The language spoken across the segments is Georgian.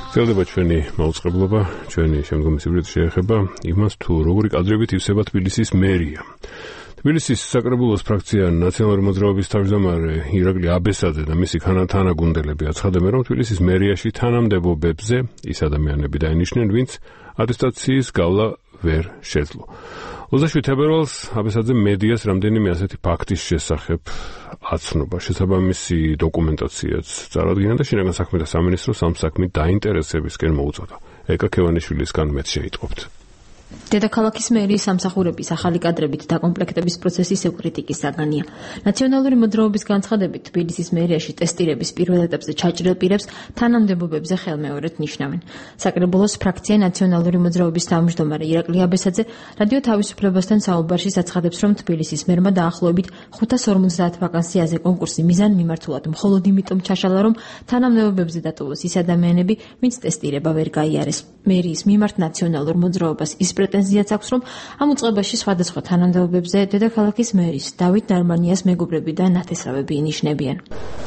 გრძელდება ჩვენი მაუწყებლობა, ჩვენი შემდგომი სიუჟეტი შეეხება იმას, თუ როგორი კადრებით ივსება თბილისის მერია. თბილისის საკრებულოს ფრაქცია ნაციონალური მოძრაობის თავმჯდომარე ირაკლი აბესაძე და მისი თანაგუნდელები აცხადებენ, რომ თბილისის მერიაში თანამდებობებზე ის ადამიანები დაინიშნენ, ვინც ატესტაციის გავლა ვერ შეძლო. 27 თებერვალს აბესაძე მედიას რამდენიმე ასეთი ფაქტის შესახებ აცნობა. შესაბამისი დოკუმენტაციაც წარადგინა და შინაგან საქმეთა სამინისტროს ამ საქმით დაინტერესებისკენ მოუწოდა. ეკა ქევანიშვილისგან მეც შეიტყობთ. დედაქალაქის მერიის სამსახურების ახალი კადრებით დაკომპლექტების პროცესი ისევ კრიტიკის საგანია. ნაციონალური მოძრაობის განცხადებით, თბილისის მერიაში ტესტირების პირველ ეტაპზე ჩაჭრილ პირებს თანამდებობებზე ხელმეორედ ნიშნავენ. საკრებულოს ფრაქცია ნაციონალური მოძრაობის თავმჯდომარე ირაკლი აბესაძე რადიო თავისუფლებასთან საუბარში აცხადებს, რომ თბილისის მერმა დაახლოებით 550 ვაკანსიაზე კონკურსი მიზანმიმართულად მხოლოდ იმიტომ ჩაშალა, რომ თანამდებობებზე დატოვოს ის ადამიანები, ვინც ტესტირება ვერ გაიარეს. მერიის მიმართ ნაციონალურ მოძრაობას ის პრეტენზიაც აქვს, რომ ამ უწყებაში სხვადასხვა თანამდებობებზე დედაქალაქის მერის დავით ნარმანიას მეგობრები და ნათესავები ინიშნებიან.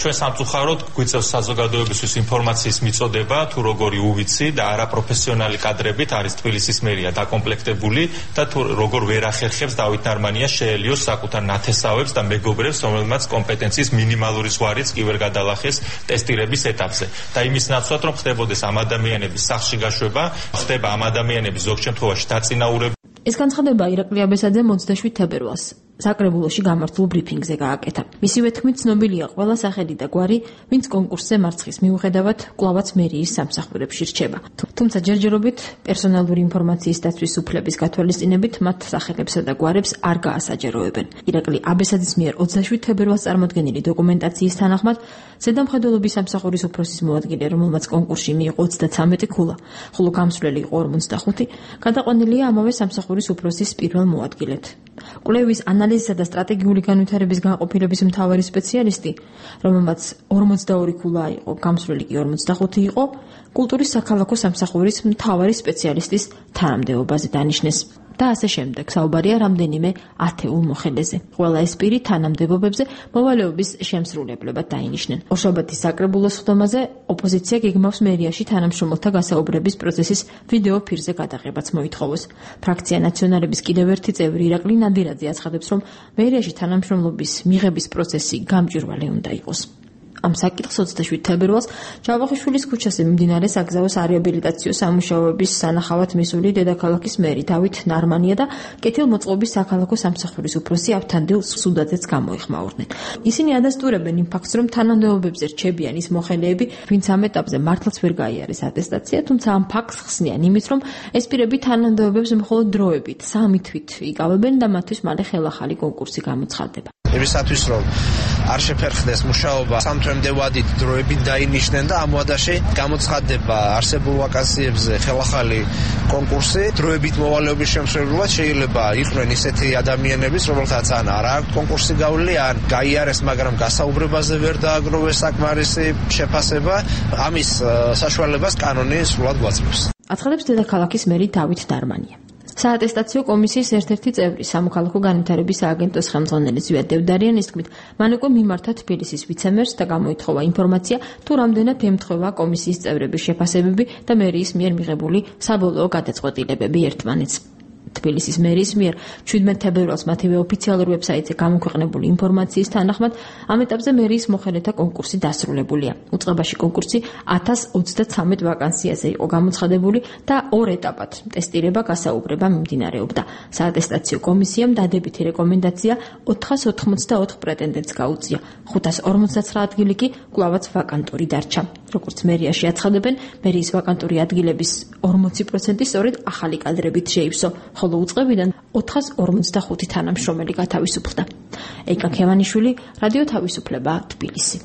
ჩვენ სამწუხაროდ გვიწევს საზოგადოებისთვის ინფორმაციის მიწოდება, თუ როგორი უვიცი და არაპროფესიონალი კადრებით არის თბილისის მერია დაკომპლექტებული და თუ როგორ ვერ ახერხებს დავით ნარმანიას შეელიოს საკუთარ ნათესავებს და მეგობრებს, რომელმაც კომპეტენციის მინიმალური ზღვარიც კი ვერ გადალახეს ტესტირების ეტაპზე. და იმის ნაცვლად, რომ ხდებოდეს ამ ადამიანების სახლში გაშვება, ხდება ამ ადამიანების ზოგ შემთხვევაში დაწინაურება. ეს განცხადება ირაკლი აბესაძემ 27 თებერვალს საკრებულოში გამართულ ბრიფინგზე გააკეთა. მისივე თქმით, ცნობილია ყველა სახელი და გვარი, ვინც კონკურსზე მარცხის მიუხედავად კვლავაც მერიის სამსახურებში რჩება. თუმცა ჯერჯერობით პერსონალური ინფორმაციის დაცვის უფლების გათვალისწინებით მათ სახელებსა და გვარებს არ გაასაჯაროებენ. ირაკლი აბესაძის მიერ 27 თებერვალს წარმოდგენილი დოკუმენტაციის თანახმად, ზედამხედველობის სამსახურის უფროსის მოადგილე, რომელმაც კონკურსში მიიღო 33 ქულა, ხოლო გამსვლელი იყო 45, გადაყვანილია ამავე სამსახურის უფროსის პირველ მოადგილედ. კვლევის ანალიზისა და სტრატეგიული განვითარების განყოფილების მთავარი სპეციალისტი, რომელმაც 42 ქულა იყო, გამსვლელი კი 45 იყო, კულტურის საქალაქო სამსახურის მთავარი სპეციალისტის თანამდებობაზე დანიშნეს. და ასე შემდეგ. საუბარია რამდენიმე ათეულ მოხელეზე. ყველა ეს პირი თანამდებობებზე მოვალეობის შემსრულებლებად დაინიშნენ. ორშაბათის საკრებულოს ხდომაზე ოპოზიცია გეგმავს მერიაში თანამშრომელთა გასაუბრების პროცესის ვიდეო ფირზე გადაღებაც მოითხოვოს. ფრაქცია ნაციონალების კიდევ ერთი წევრი ირაკლი ნადირაძე აცხადებს, რომ მერიაში თანამშრომლობის მიღების პროცესი გამჭვირვალე უნდა იყოს. ამ საკითხს 27 თებერვალს ჯავახიშვილის ქუჩაზე მიმდინარე საგზაო სარეაბილიტაციო სამუშაოების სანახავად მისული დედაქალაქის მერი დავით ნარმანია და კეთილმოწყობის საქალაქო სამსახურის უფროსი ავთანდილ სუდაძეც გამოიხმაურნენ. ისინი ადასტურებენ იმ ფაქტს, რომ თანამდებობებზე რჩებიან ის მოხელეები, ვინც ამ ეტაპზე მართლაც ვერ გაიარეს ატესტაცია, თუმცა ამ ფაქტს ხსნიან იმით, რომ ეს პირები თანამდებობებს მხოლოდ დროებით, 3 თვით იკავებენ და მათთვის მალე ხელახალი კონკურსი გამოცხადდება. იმისათვის, რომ არ შეფერხდეს მუშაობა, სამთვემდე ვადით დროებით დაინიშნენ და ამ ვადაში გამოცხადდება არსებულ ვაკანსიებზე ხელახალი კონკურსი. დროებით მოვალეობის შემსრულებლად შეიძლება იყვნენ ისეთი ადამიანების, რომელთაც ან არ აქვს კონკურსი გავლილი, ან გაიარეს, მაგრამ გასაუბრებაზე ვერ დააგროვეს საკმარისი შეფასება. ამის საშუალებას კანონი სრულად გვაძლევს. აცხადებს დედაქალაქის მერი დავით ნარმანია. საატესტაციო კომისიის ერთ-ერთი წევრი სამოქალაქო განვითარების სააგენტოს ხელმძღვანელი ზვიად დევდარიანის თქმით, მან უკვე მიმართა თბილისის ვიცემერს და გამოითხოვა ინფორმაცია, თუ რამდენად ემთხვევა კომისიის წევრების შეფასებები და მერიის მიერ მიღებული საბოლოო გადაწყვეტილებები ერთმანეთს. თბილისის მერიის მიერ 17 თებერვალს მათივე ოფიციალურ ვებსაიტზე გამოქვეყნებული ინფორმაციის თანახმად, ამ ეტაპზე მერიის მოხელეთა კონკურსი დასრულებულია. უწყებაში კონკურსი 1033 ვაკანსიაზე იყო გამოცხადებული და 2 ეტაპად ტესტირება, გასაუბრება მიმდინარეობდა. საატესტაციო კომისიამ დადებითი რეკომენდაცია 484 პრეტენდენტს გაუწია. 559 ადგილი კი კვლავაც ვაკანტური დარჩა. როგორც მერიაში აცხადებენ, მერიის ვაკანტური ადგილების 40% სწორედ ახალი კადრებით შეივსო. ხოლო უწყებიდან 445 თანამშრომელი გათავისუფლდა. ეკა ქევანიშვილი, რადიო თავისუფლება, თბილისი.